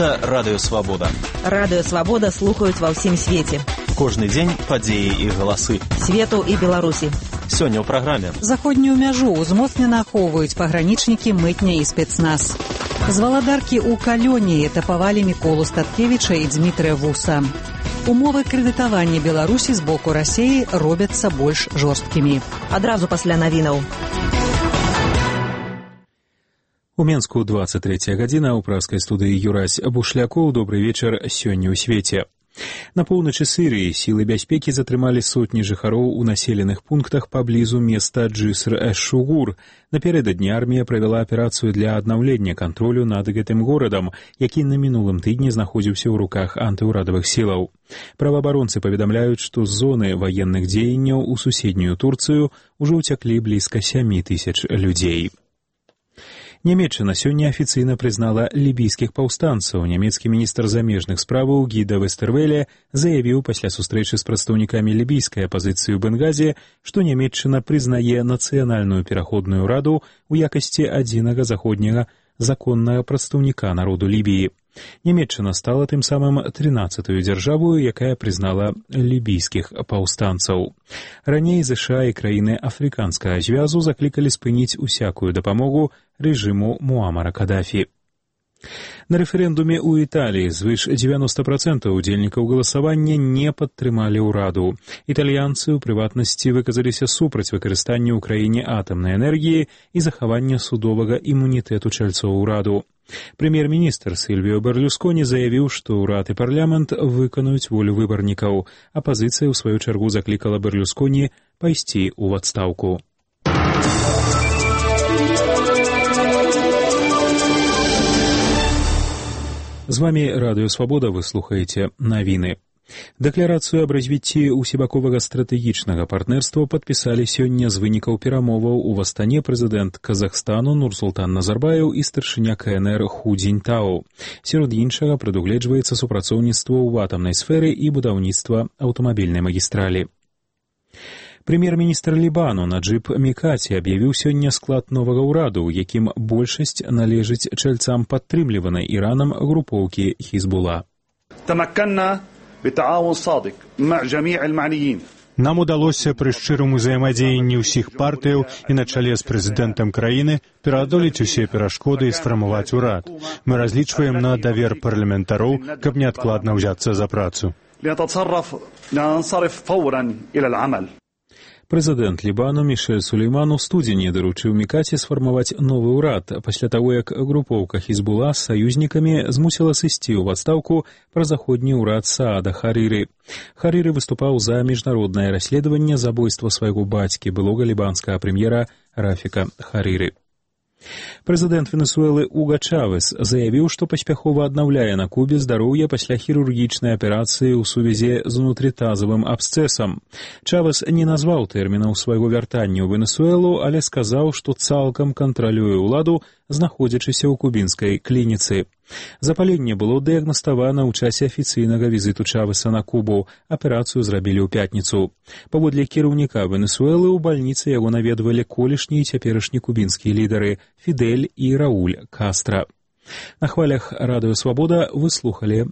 Гэта Радыё Свабода. Радыё Свабода слухаюць ва ўсім свеце. Кожны дзень падзеі і галасы. Свету і Беларусі. Сёння ў праграме. Заходнюю мяжу ўзмоцнена ахоўваюць пагранічнікі, мытня і спецназ. З валадаркі ў Калёні этапавалі Міколу Статкевіча і Дзмітрыя Вуса. Умовы крэдытавання Беларусі з боку Расіі робяцца больш жорсткімі. Адразу пасля навінаў. У Менску 23 гадзіна, у пражскай студыі Юрась Бушлякоў. Добры вечар сёння ў свеце. На поўначы Сірыі сілы бяспекі затрымалі сотні жыхароў у населеных пунктах паблізу места Джыср-эш-Шугур. Напярэдадні армія правяла аперацыю для аднаўлення кантролю над гэтым горадам, які на мінулым тыдні знаходзіўся ў руках антыўрадавых сілаў. Праваабаронцы паведамляюць, што з зоны ваенных дзеянняў у суседнюю Турцыю ўжо ўцяклі блізка 7000 людзей. Нямецчына сёння афіцыйна прызнала лібійскіх паўстанцаў. Нямецкі міністр замежных справаў Гіда Вестэрвеле заявіў пасля сустрэчы з прадстаўнікамі лібійскай апазіцыі ў Бенгазе, што Нямецчына прызнае нацыянальную пераходную раду ў якасці адзінага заходняга законнага прадстаўніка народу Лібіі. Нямецчына стала тым самым 13-ю дзяржавою, якая прызнала лібійскіх паўстанцаў. Раней ЗША і краіны афрыканскага звязу заклікалі спыніць усякую дапамогу рэжыму Муамара Кадафі. На рэферэндуме ў Італіі звыш 90% удзельнікаў галасавання не падтрымалі ўраду. Італьянцы, у прыватнасці, выказаліся супраць выкарыстання ў краіне атамнай энергіі і захавання судовага імунітэту чальцоў ураду. Прэм'ер-міністр Сільвіо Берлюсконі заявіў, што ўрад і парламент выканаюць волю выбарнікаў. Апазіцыя, у сваю чаргу, заклікала Берлюсконі пайсці ў адстаўку. З вами Радыё Свабода, вы слухаеце навіны. Дэкларацыю аб развіцці ўсебаковага стратэгічнага партнерства падпісалі сёння з вынікаў перамоваў у Астане прэзідэнт Казахстану Нурсултан Назарбаев і старшыня КНР Ху Цзіньтао. Сярод іншага прадугледжваецца супрацоўніцтва ў атамнай сферы і будаўніцтва аўтамабільнай магістралі. Прэм'ер-міністр Лібану Наджыб Мікаці аб'явіў сёння склад новага ўраду, у якім большасць належыць чальцам падтрымліванай Іранам групоўкі Хізбула. Нам удалося пры шчырым узаемадзеянні ўсіх партыяў і на чале з прэзідэнтам краіны пераадолець усе перашкоды і сфармаваць урад. Мы разлічваем на давер парламентароў, каб неадкладна ўзяцца за працу. Прэзідэнт Лібану Мішэль Сулейман у студзені даручыў Мікаці сфармаваць новы ўрад пасля таго, як групоўка Хізбула з саюзнікамі змусіла сысці ў адстаўку празаходні ўрад Саада Харыры. Харыры выступаў за міжнароднае расследаванне забойства свайго бацькі, былога лібанскага прэм'ера Рафіка Харыры. Прэзідэнт Венесуэлы Уга Чавес заявіў, што паспяхова аднаўляе на Кубе здароўе пасля хірургічнай аперацыі ў сувязі з унутрытазавым абсцэсам. Чавес не назваў тэрмінаў свайго вяртання ў Венесуэлу, але сказаў, што цалкам кантралюе ўладу, знаходзячыся ў кубінскай клініцы. Запаленне было дыягнаставана ў часе афіцыйнага візіту Чавеса на Кубу. Аперацыю зрабілі ў пятніцу. Паводле кіраўніка Венесуэлы ў бальніцы яго наведвалі колішні і цяперашні кубінскія лідары Фідель і Рауль Кастра. На хвалях Радыё Свабода вы слухалі